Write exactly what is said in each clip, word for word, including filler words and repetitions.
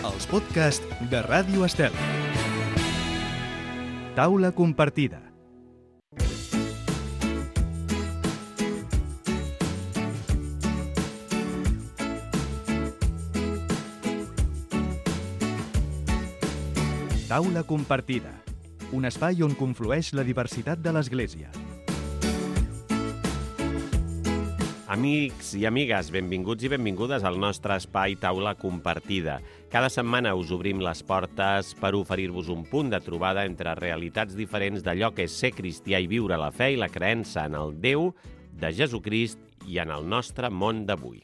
els podcasts de Ràdio Estel. Taula compartida. Taula compartida, un espai on conflueix la diversitat de l'Església. Amics i amigues, benvinguts i benvingudes al nostre espai Taula Compartida. Cada setmana us obrim les portes per oferir-vos un punt de trobada entre realitats diferents d'allò que és ser cristià i viure la fe i la creença en el Déu de Jesucrist i en el nostre món d'avui.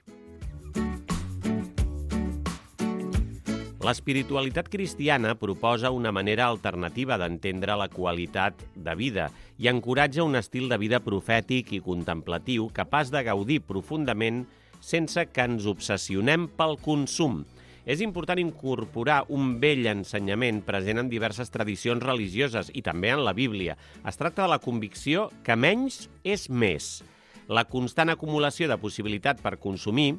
L'espiritualitat cristiana proposa una manera alternativa d'entendre la qualitat de vida i encoratja un estil de vida profètic i contemplatiu capaç de gaudir profundament sense que ens obsessionem pel consum. És important incorporar un vell ensenyament present en diverses tradicions religioses i també en la Bíblia. Es tracta de la convicció que menys és més. La constant acumulació de possibilitat per consumir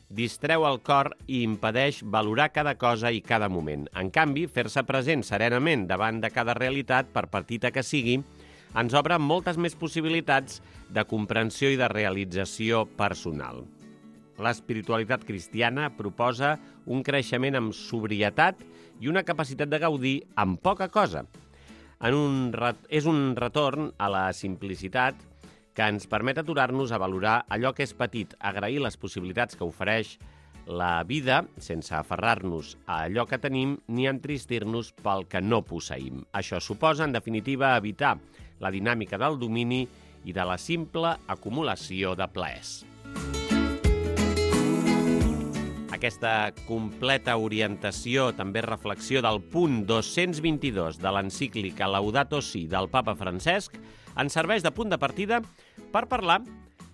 distreu el cor i impedeix valorar cada cosa i cada moment. En canvi, fer-se present serenament davant de cada realitat, per petita que sigui, ens obre moltes més possibilitats de comprensió i de realització personal. L'espiritualitat cristiana proposa un creixement amb sobrietat i una capacitat de gaudir amb poca cosa. En un ret... És un retorn a la simplicitat que ens permet aturar-nos a valorar allò que és petit, agrair les possibilitats que ofereix la vida sense aferrar-nos a allò que tenim ni entristir-nos pel que no posseïm. Això suposa, en definitiva, evitar la dinàmica del domini i de la simple acumulació de plaers. Aquesta completa orientació, també reflexió del punt dos-cents vint-i-dos de l'encíclica Laudato Si del papa Francesc, ens serveix de punt de partida per parlar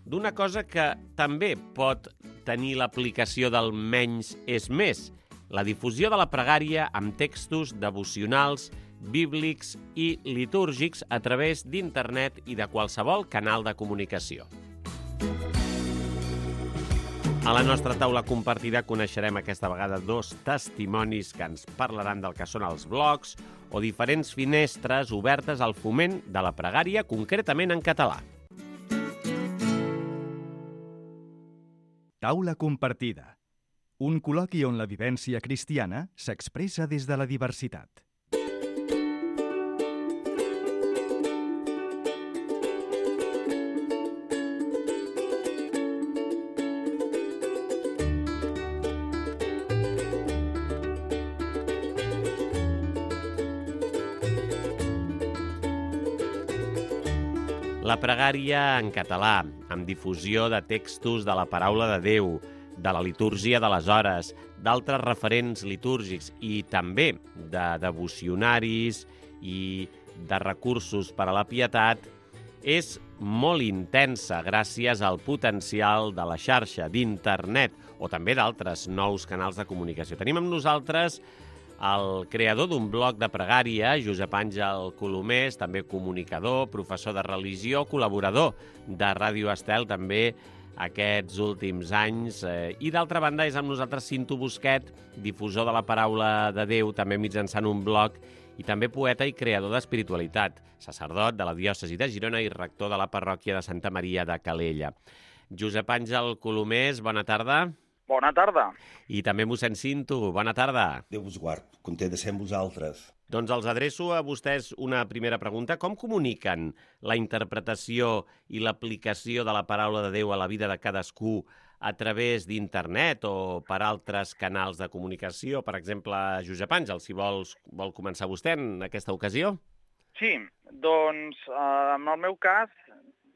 d'una cosa que també pot tenir l'aplicació del menys és més, la difusió de la pregària amb textos devocionals, bíblics i litúrgics a través d'internet i de qualsevol canal de comunicació. A la nostra taula compartida coneixerem aquesta vegada dos testimonis que ens parlaran del que són els blogs o diferents finestres obertes al foment de la pregària, concretament en català. Taula compartida. Un col·loqui on la vivència cristiana s'expressa des de la diversitat. La pregària en català, amb difusió de textos de la paraula de Déu, de la litúrgia de les hores, d'altres referents litúrgics i també de devocionaris i de recursos per a la pietat, és molt intensa gràcies al potencial de la xarxa, d'internet o també d'altres nous canals de comunicació. Tenim amb nosaltres el creador d'un blog de pregària, Josep Àngel Colomés, també comunicador, professor de religió, col·laborador de Ràdio Estel també aquests últims anys. I d'altra banda és amb nosaltres Cinto Busquet, difusor de la paraula de Déu, també mitjançant un blog, i també poeta i creador d'espiritualitat, sacerdot de la diòcesi de Girona i rector de la parròquia de Santa Maria de Calella. Josep Àngel Colomés, bona tarda. Bona tarda. I també mossèn Cinto, bona tarda. Déu vos guard, content de ser amb vosaltres. Doncs els adreço a vostès una primera pregunta. Com comuniquen la interpretació i l'aplicació de la paraula de Déu a la vida de cadascú a través d'internet o per altres canals de comunicació? Per exemple, Josep Àngel, si vols, vol començar vostè en aquesta ocasió? Sí, doncs eh, en el meu cas,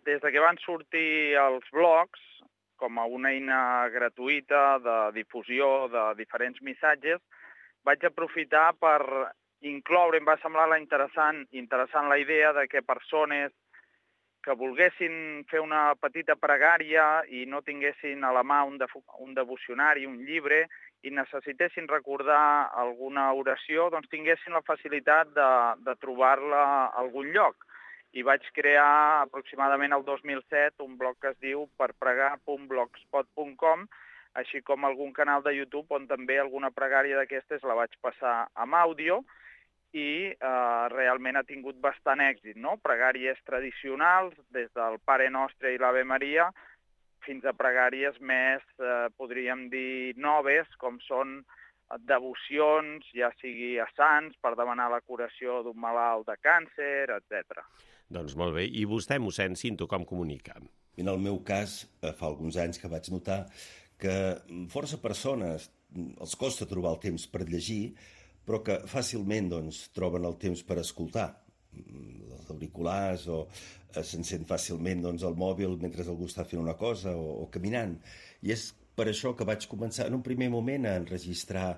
des de que van sortir els blogs, com a una eina gratuïta de difusió de diferents missatges, vaig aprofitar per incloure, em va semblar interessant, interessant la idea de que persones que volguessin fer una petita pregària i no tinguessin a la mà un, de, un devocionari, un llibre, i necessitessin recordar alguna oració, doncs tinguessin la facilitat de, de trobar-la a algun lloc. I vaig crear aproximadament el dos mil set un blog que es diu per pregar punt blogspot punt com, així com algun canal de YouTube on també alguna pregària d'aquestes la vaig passar amb àudio i eh, realment ha tingut bastant èxit, no? Pregàries tradicionals, des del Pare Nostre i l'Ave Maria, fins a pregàries més, eh, podríem dir, noves, com són devocions, ja sigui a sants, per demanar la curació d'un malalt de càncer, etcètera. Doncs molt bé. I vostè, mossèn Cinto, com comunica? En el meu cas, fa alguns anys que vaig notar que força persones els costa trobar el temps per llegir, però que fàcilment doncs, troben el temps per escoltar els auriculars o s'encén fàcilment doncs, el mòbil mentre algú està fent una cosa o, o caminant. I és per això que vaig començar en un primer moment a enregistrar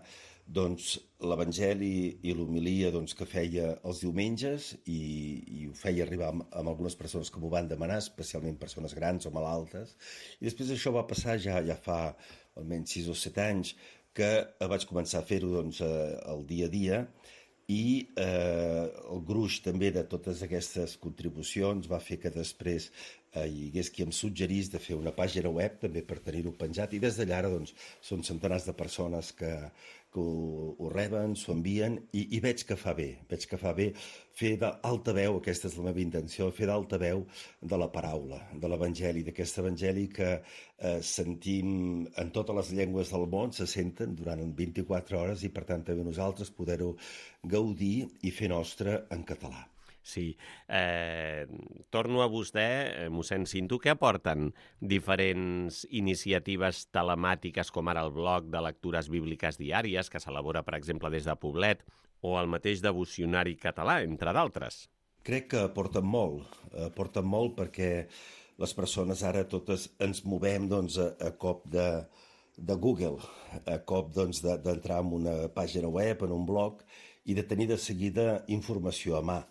doncs, l'Evangeli i l'homilia doncs, que feia els diumenges i, i ho feia arribar amb, amb algunes persones que m'ho van demanar, especialment persones grans o malaltes. I després això va passar ja, ja fa almenys sis o set anys que vaig començar a fer-ho doncs, el dia a dia i eh, el gruix també de totes aquestes contribucions va fer que després eh, hi hagués qui em suggerís de fer una pàgina web també per tenir-ho penjat i des d'allà doncs, són centenars de persones que, que ho, ho reben, s'ho envien i, i veig que fa bé, veig que fa bé fer d'altaveu, aquesta és la meva intenció, fer d'altaveu de la paraula, de l'Evangeli, d'aquest Evangeli que eh, sentim en totes les llengües del món, se senten durant vint-i-quatre hores i per tant també nosaltres poder-ho gaudir i fer nostre en català. Sí. Eh, torno a vostè, eh, mossèn Cinto, què aporten diferents iniciatives telemàtiques com ara el blog de lectures bíbliques diàries que s'elabora, per exemple, des de Poblet o el mateix devocionari català, entre d'altres? Crec que aporten molt, aporten molt perquè les persones ara totes ens movem doncs, a, a cop de, de Google, a cop doncs, de, d'entrar en una pàgina web, en un blog, i de tenir de seguida informació a mà.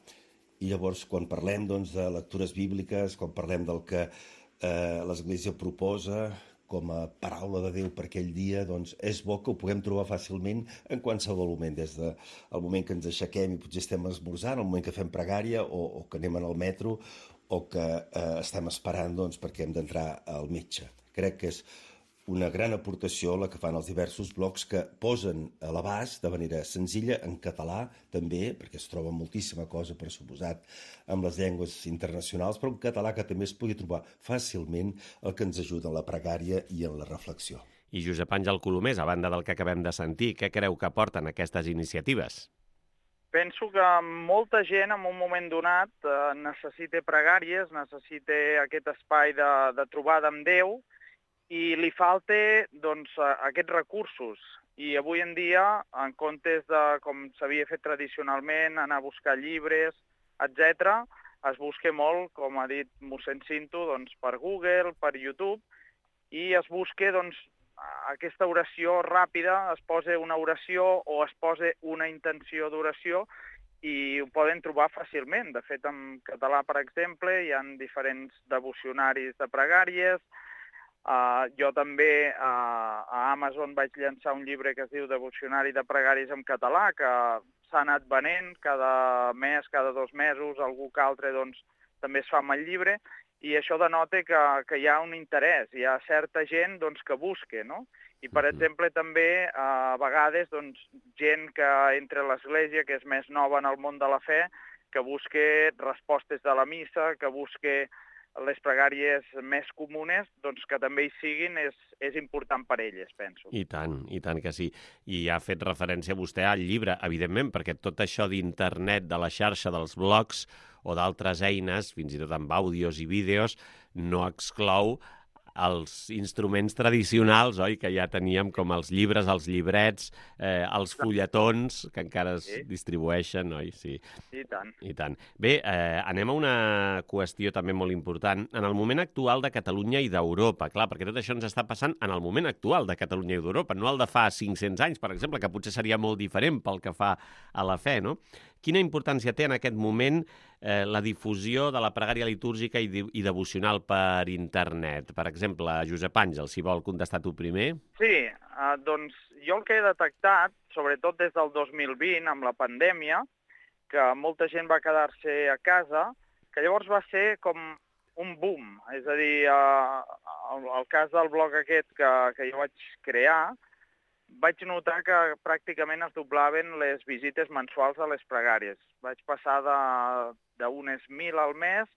I llavors, quan parlem doncs, de lectures bíbliques, quan parlem del que eh, l'Església proposa com a paraula de Déu per aquell dia, doncs és bo que ho puguem trobar fàcilment en qualsevol moment, des del moment que ens aixequem i potser estem esmorzant, el moment que fem pregària o, o que anem al metro o que eh, estem esperant doncs, perquè hem d'entrar al metge. Crec que és una gran aportació la que fan els diversos blogs que posen a l'abast de manera senzilla, en català també, perquè es troba moltíssima cosa, per suposat, amb les llengües internacionals, però en català que també es pugui trobar fàcilment el que ens ajuda en la pregària i en la reflexió. I Josep Àngel Colomés, a banda del que acabem de sentir, què creu que aporten aquestes iniciatives? Penso que molta gent en un moment donat eh, necessita pregàries, necessita aquest espai de, de trobada amb Déu, i li falta doncs, aquests recursos. I avui en dia, en comptes de, com s'havia fet tradicionalment, anar a buscar llibres, etcètera, es busca molt, com ha dit mossèn Cinto, doncs, per Google, per YouTube, i es busca doncs, aquesta oració ràpida, es posa una oració o es posa una intenció d'oració i ho poden trobar fàcilment. De fet, en català, per exemple, hi ha diferents devocionaris de pregàries. Uh, jo també uh, a Amazon vaig llançar un llibre que es diu Devocionari de pregàries en català, que s'ha anat venent cada mes, cada dos mesos, algú que altre doncs, també es fa amb el llibre, i això denota que, que hi ha un interès, hi ha certa gent doncs, que busca, no? I, per exemple, també uh, a vegades doncs, gent que entra a l'Església, que és més nova en el món de la fe, que busca respostes de la missa, que busca les pregàries més comunes, doncs que també hi siguin, és, és important per elles, penso. I tant, i tant que sí. I ha fet referència vostè al llibre, evidentment, perquè tot això d'internet, de la xarxa, dels blogs o d'altres eines, fins i tot amb àudios i vídeos, no exclou els instruments tradicionals, oi, que ja teníem, com els llibres, els llibrets, eh, els fulletons, que encara es sí. distribueixen, oi? Sí. I tant. I tant. Bé, eh, anem a una qüestió també molt important. En el moment actual de Catalunya i d'Europa, clar, perquè tot això ens està passant en el moment actual de Catalunya i d'Europa, no el de fa cinc-cents anys, per exemple, que potser seria molt diferent pel que fa a la fe, no? Quina importància té en aquest moment eh, la difusió de la pregària litúrgica i, i devocional per internet? Per exemple, Josep Àngel, si vol contestar tu primer. Sí, eh, doncs jo el que he detectat, sobretot des del dos mil vint, amb la pandèmia, que molta gent va quedar-se a casa, que llavors va ser com un boom. És a dir, eh, el, el cas del blog aquest que, que jo vaig crear, vaig notar que pràcticament es doblaven les visites mensuals a les pregàries. Vaig passar d'unes mil al mes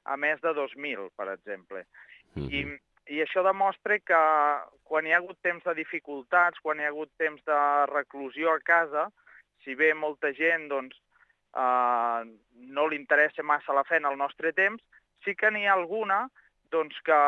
a més de dos mil, per exemple. Mm-hmm. I, I això demostra que quan hi ha hagut temps de dificultats, quan hi ha hagut temps de reclusió a casa, si bé molta gent doncs, eh, no li interessa massa la fe en el nostre temps, sí que n'hi ha alguna doncs, que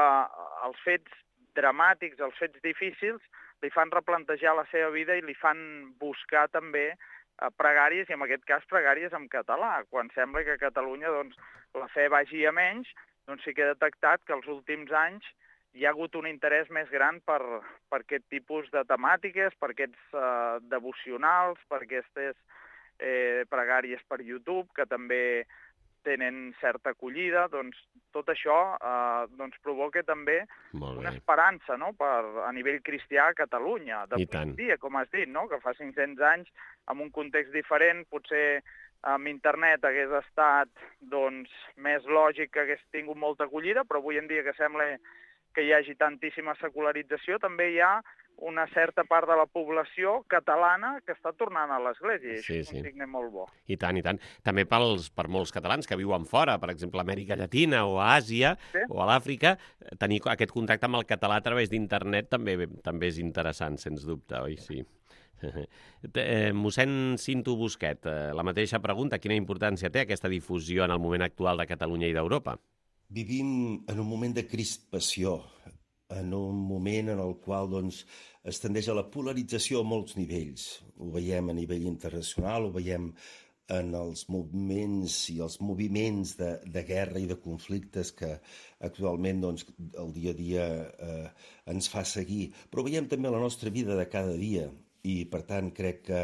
els fets dramàtics, els fets difícils, li fan replantejar la seva vida i li fan buscar també eh, pregàries, i en aquest cas pregàries en català. Quan sembla que a Catalunya doncs, la fe vagi a menys, doncs sí que he detectat que els últims anys hi ha hagut un interès més gran per, per aquest tipus de temàtiques, per aquests eh, devocionals, per aquestes eh, pregàries per YouTube, que també tenen certa acollida. Doncs tot això eh, doncs provoca també una esperança, no?, per, a nivell cristià a Catalunya. De dia, com has dit, no?, que fa cinc-cents anys, en un context diferent, potser amb internet hagués estat doncs, més lògic que hagués tingut molta acollida, però avui en dia que sembla que hi hagi tantíssima secularització, també hi ha una certa part de la població catalana que està tornant a l'Església, i sí, això és sí. un signe molt bo. I tant, i tant. També pels, per molts catalans que viuen fora, per exemple, a Amèrica Llatina o a Àsia, sí, o a l'Àfrica, tenir aquest contacte amb el català a través d'internet també, també és interessant, sens dubte, oi? Sí. Eh, mossèn Cinto Busquet, eh, la mateixa pregunta, quina importància té aquesta difusió en el moment actual de Catalunya i d'Europa? Vivim en un moment de crispació, en un moment en el qual doncs, es tendeix a la polarització a molts nivells. Ho veiem a nivell internacional, ho veiem en els moviments i els moviments de, de guerra i de conflictes que actualment doncs, el dia a dia eh, ens fa seguir. Però ho veiem també a la nostra vida de cada dia i, per tant, crec que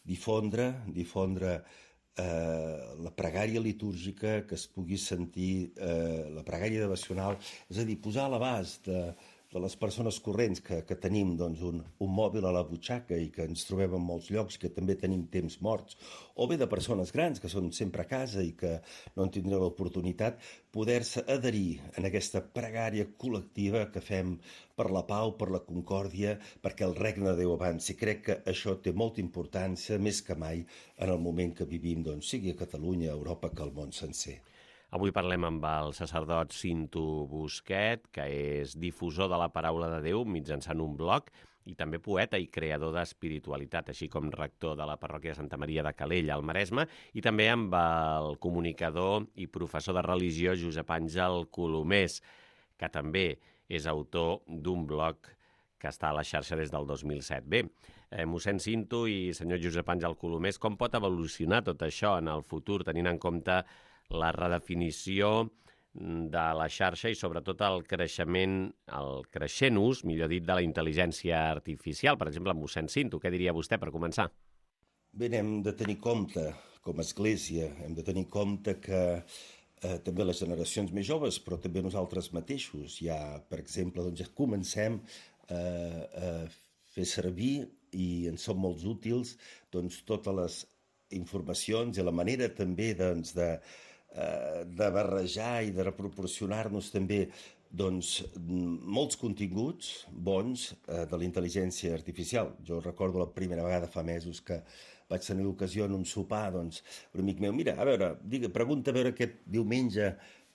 difondre, difondre eh, la pregària litúrgica, que es pugui sentir eh, la pregària devocional, és a dir, posar a l'abast de, de les persones corrents que, que tenim doncs, un, un mòbil a la butxaca i que ens trobem en molts llocs, que també tenim temps morts, o bé de persones grans que són sempre a casa i que no en tindrem l'oportunitat, poder-se adherir en aquesta pregària col·lectiva que fem per la pau, per la concòrdia, perquè el regne de Déu avanci. Crec que això té molta importància, més que mai, en el moment que vivim, doncs, sigui a Catalunya, a Europa, que al món sencer. Avui parlem amb el sacerdot Cinto Busquet, que és difusor de la paraula de Déu mitjançant un blog i també poeta i creador d'espiritualitat, així com rector de la parròquia de Santa Maria de Calella, al Maresme, i també amb el comunicador i professor de religió Josep Àngel Colomés, que també és autor d'un blog que està a la xarxa des del dos mil set. Bé, eh, mossèn Cinto i senyor Josep Àngel Colomés, com pot evolucionar tot això en el futur, tenint en compte la redefinició de la xarxa i sobretot el creixement, el creixent ús, millor dit, de la intel·ligència artificial? Per exemple, mossèn Cinto, què diria vostè per començar? Bé, hem de tenir compte, com a Església, hem de tenir compte que eh, també les generacions més joves, però també nosaltres mateixos, ja, per exemple, doncs, ja comencem eh, a fer servir, i en són molt útils, doncs, totes les informacions i la manera també doncs, de de barrejar i de proporcionar-nos també doncs, molts continguts bons eh, de la intel·ligència artificial. Jo recordo la primera vegada fa mesos que vaig tenir l'ocasió en un sopar, doncs, un amic meu, mira, a veure, digue, pregunta a veure aquest diumenge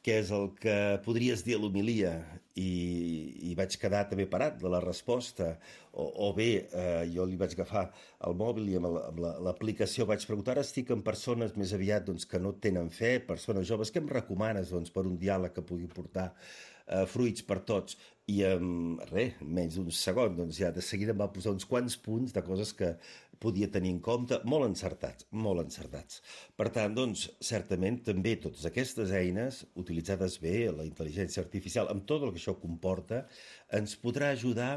què és el que podries dir a l'homilia, i, i vaig quedar també parat de la resposta, o, o bé eh, jo li vaig agafar el mòbil i amb, la, amb la, l'aplicació vaig preguntar, ara estic amb persones més aviat doncs, que no tenen fe, persones joves, què em recomanes doncs, per un diàleg que pugui portar eh, fruits per tots? I en res, menys d'un segon, doncs ja de seguida em va posar uns quants punts de coses que podia tenir en compte, molt encertats, molt encertats. Per tant, doncs, certament, també totes aquestes eines, utilitzades bé, la intel·ligència artificial, amb tot el que això comporta, ens podrà ajudar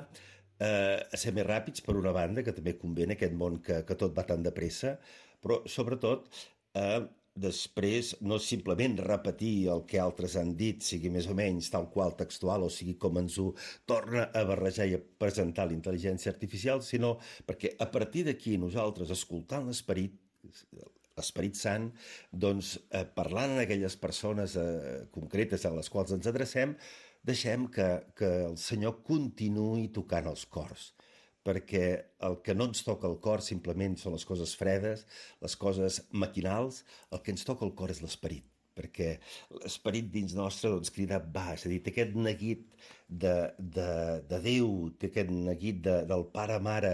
eh, a ser més ràpids, per una banda, que també convé en aquest món que, que tot va tan de pressa, però, sobretot, eh, després no simplement repetir el que altres han dit, sigui més o menys tal qual textual, o sigui com ens ho torna a barrejar i a presentar la intel·ligència artificial, sinó perquè a partir d'aquí nosaltres, escoltant l'esperit, l'Esperit Sant, doncs eh, parlant en aquelles persones eh, concretes a les quals ens adrecem, deixem que, que el Senyor continuï tocant els cors, perquè el que no ens toca el cor simplement són les coses fredes, les coses maquinals, el que ens toca el cor és l'esperit, perquè l'esperit dins nostre doncs, crida va, és a dir, té aquest neguit de, de, de Déu, té aquest neguit de, del pare-mare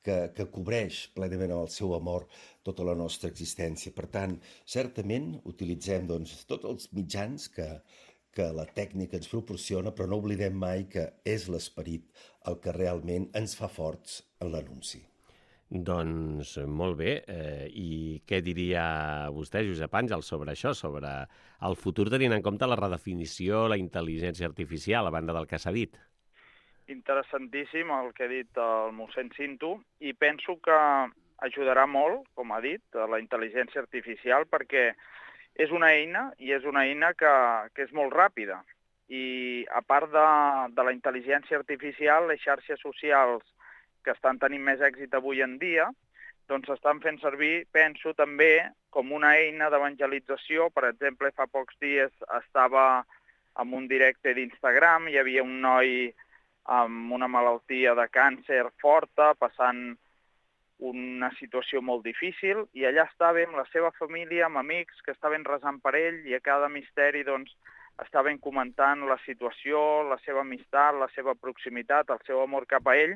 que, que cobreix plenament amb el seu amor tota la nostra existència. Per tant, certament utilitzem doncs, tots els mitjans que, que la tècnica ens proporciona, però no oblidem mai que és l'esperit el que realment ens fa forts en l'anunci. Doncs molt bé. Eh, I què diria vostè, Josep Àngel, sobre això, sobre el futur tenint en compte la redefinició, la intel·ligència artificial, a banda del que s'ha dit? Interessantíssim el que ha dit el mossèn Cinto, i penso que ajudarà molt, com ha dit, la intel·ligència artificial, perquè és una eina, i és una eina que, que és molt ràpida. I a part de, de la intel·ligència artificial, les xarxes socials que estan tenint més èxit avui en dia, doncs s'estan fent servir, penso, també com una eina d'evangelització. Per exemple, fa pocs dies estava en un directe d'Instagram, hi havia un noi amb una malaltia de càncer forta, passant una situació molt difícil, i allà estava amb la seva família, amb amics que estaven resant per ell, i a cada misteri doncs, estaven comentant la situació, la seva amistat, la seva proximitat, el seu amor cap a ell,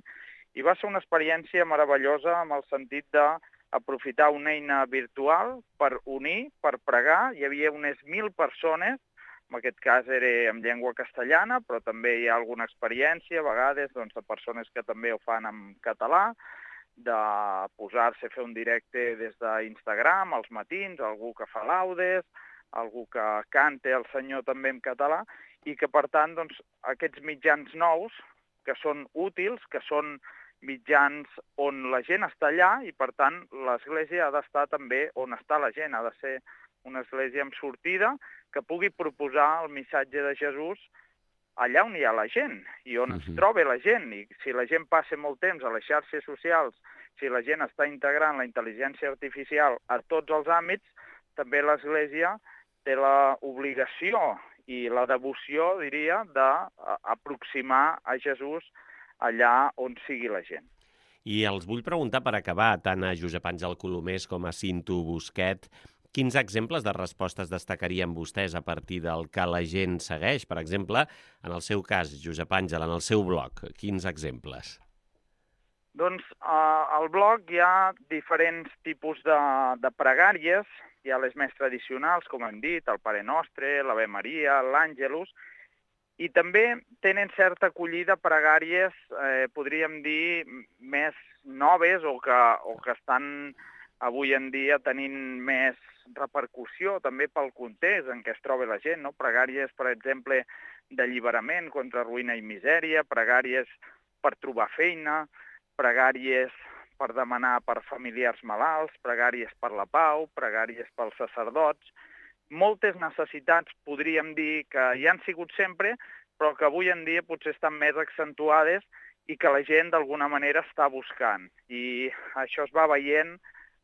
i va ser una experiència meravellosa en el sentit d'aprofitar una eina virtual per unir, per pregar. Hi havia unes mil persones, en aquest cas era en llengua castellana, però també hi ha alguna experiència, a vegades, doncs, de persones que també ho fan en català, de posar-se a fer un directe des d'Instagram als matins, algú que fa laudes, algú que canta el Senyor també en català, i que, per tant, doncs, aquests mitjans nous, que són útils, que són mitjans on la gent està allà, i, per tant, l'Església ha d'estar també on està la gent, ha de ser una església amb sortida, que pugui proposar el missatge de Jesús allà on hi ha la gent i on es troba la gent. I si la gent passa molt temps a les xarxes socials, si la gent està integrant la intel·ligència artificial a tots els àmbits, també l'Església té l'obligació i la devoció, diria, d'aproximar a Jesús allà on sigui la gent. I els vull preguntar, per acabar, tant a Josep Àngel Colomés com a Cinto Busquet, quins exemples de respostes destacarien vostès a partir del que la gent segueix? Per exemple, en el seu cas, Josep Àngel, en el seu blog, quins exemples? Doncs eh, al blog hi ha diferents tipus de, de pregàries. Hi ha les més tradicionals, com hem dit, el Pare Nostre, l'Ave Maria, l'Àngelus, i també tenen certa acollida pregàries, eh, podríem dir, més noves o que, o que estan avui en dia tenint més repercussió també pel context en què es troba la gent, no? Pregàries, per exemple, d'alliberament contra ruïna i misèria, pregàries per trobar feina, pregàries per demanar per familiars malalts, pregàries per la pau, pregàries pels sacerdots. Moltes necessitats, podríem dir, que hi han sigut sempre, però que avui en dia potser estan més accentuades i que la gent d'alguna manera està buscant. I això es va veient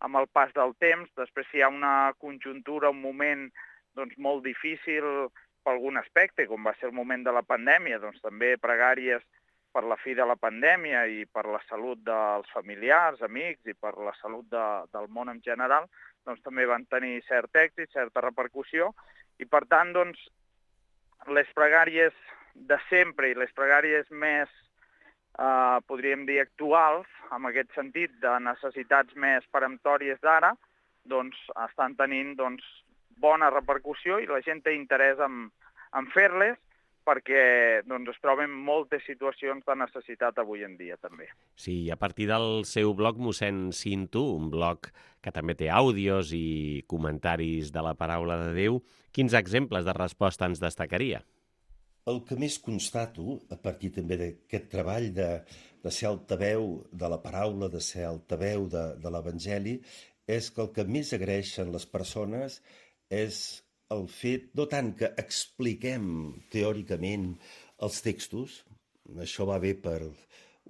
amb el pas del temps. Després, si hi ha una conjuntura, un moment doncs, molt difícil per algun aspecte, com va ser el moment de la pandèmia, doncs també pregàries per la fi de la pandèmia i per la salut dels familiars, amics i per la salut de, del món en general, doncs també van tenir cert èxit, certa repercussió, i per tant, doncs, les pregàries de sempre i les pregàries més, eh, podríem dir, actuals, en aquest sentit, de necessitats més peremptòries d'ara, doncs estan tenint doncs, bona repercussió i la gent té interès en, en fer-les, perquè doncs, es troben moltes situacions de necessitat avui en dia, també. Sí, a partir del seu blog, mossèn Cinto, un blog que també té àudios i comentaris de la paraula de Déu, quins exemples de resposta ens destacaria? El que més constato, a partir també d'aquest treball de, de ser altaveu de la paraula, de ser altaveu de, de l'Evangeli, és que el que més agraeixen les persones és el fet, no tant que expliquem teòricament els textos, això va bé per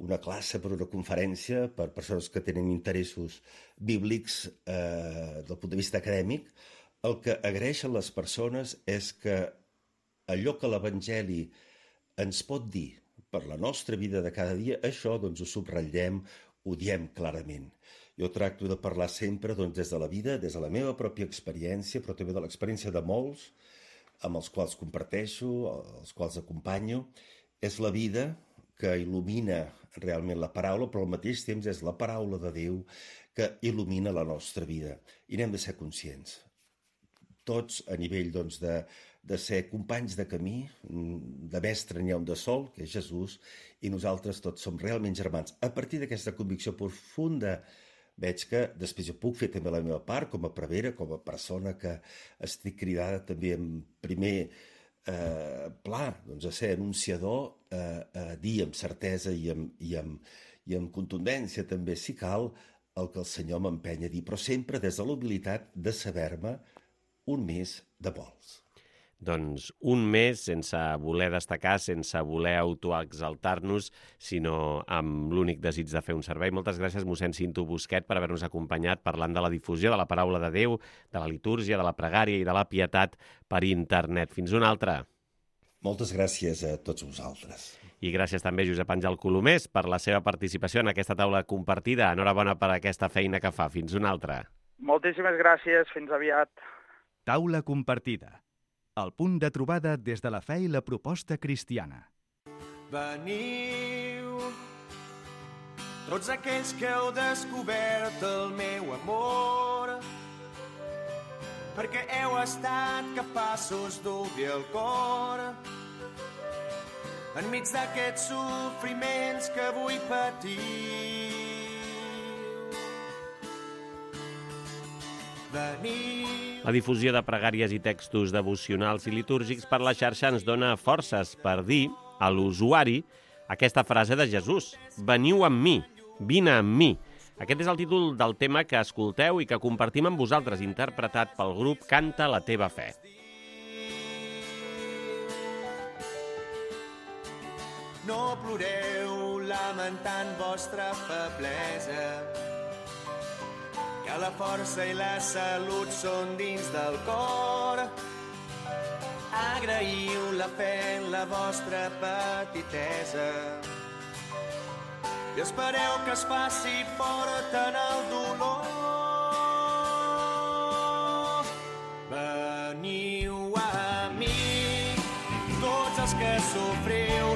una classe, per una conferència, per persones que tenen interessos bíblics eh, del punt de vista acadèmic, el que agraeixen les persones és que allò que l'Evangeli ens pot dir per la nostra vida de cada dia, això doncs ho subratllem, ho diem clarament. Jo tracto de parlar sempre doncs, des de la vida, des de la meva pròpia experiència, però també de l'experiència de molts, amb els quals comparteixo, els quals acompanyo. És la vida que il·lumina realment la paraula, però al mateix temps és la paraula de Déu que il·lumina la nostra vida. I n'hem de ser conscients. Tots a nivell doncs, de, de ser companys de camí, de mestre n'hi ha un de sol, que és Jesús, i nosaltres tots som realment germans. A partir d'aquesta convicció profunda, veig que després jo puc fer també la meva part com a prevere, com a persona que estic cridada també en primer eh, pla doncs, a ser anunciador, eh, a dir amb certesa i amb, i, amb, i amb contundència també, si cal, el que el Senyor m'empenya a dir, però sempre des de la humilitat de saber-me un més de molts. Doncs un més sense voler destacar, sense voler autoexaltar-nos, sinó amb l'únic desig de fer un servei. Moltes gràcies, mossèn Cinto Busquet, per haver-nos acompanyat parlant de la difusió de la paraula de Déu, de la litúrgia, de la pregària i de la pietat per internet. Fins una altra. Moltes gràcies a tots vosaltres. I gràcies també a Josep Àngel Colomés per la seva participació en aquesta taula compartida. Enhorabona per aquesta feina que fa. Fins una altra. Moltíssimes gràcies. Fins aviat. Taula compartida. El punt de trobada des de la fe i la proposta cristiana. Veniu, tots aquells que heu descobert el meu amor, perquè heu estat capaços d'obrir el cor enmig d'aquests sofriments que avui patiu. Veniu. La difusió de pregàries i textos devocionals i litúrgics per la xarxa ens dona forces per dir a l'usuari aquesta frase de Jesús: veniu amb mi, vine amb mi. Aquest és el títol del tema que escolteu i que compartim amb vosaltres, interpretat pel grup Canta la teva fe. No ploreu lamentant vostra feblesa, que la força i la salut són dins del cor. Agraïu la fe en la vostra petitesa i espereu que es faci fort en el dolor. Veniu a mi, tots els que sofriu.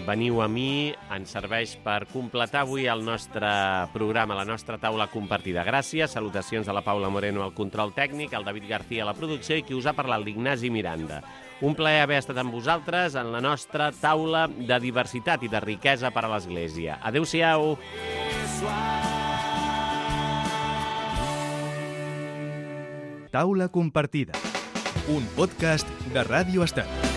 Veniu a mi ens serveix per completar avui el nostre programa, la nostra taula compartida. Gràcies, salutacions a la Paula Moreno al control tècnic, al David García a la producció i qui us ha parlat, l'Ignasi Miranda. Un plaer haver estat amb vosaltres en la nostra taula de diversitat i de riquesa per a l'Església. Adéu-siau! Taula compartida, un podcast de Ràdio Estat.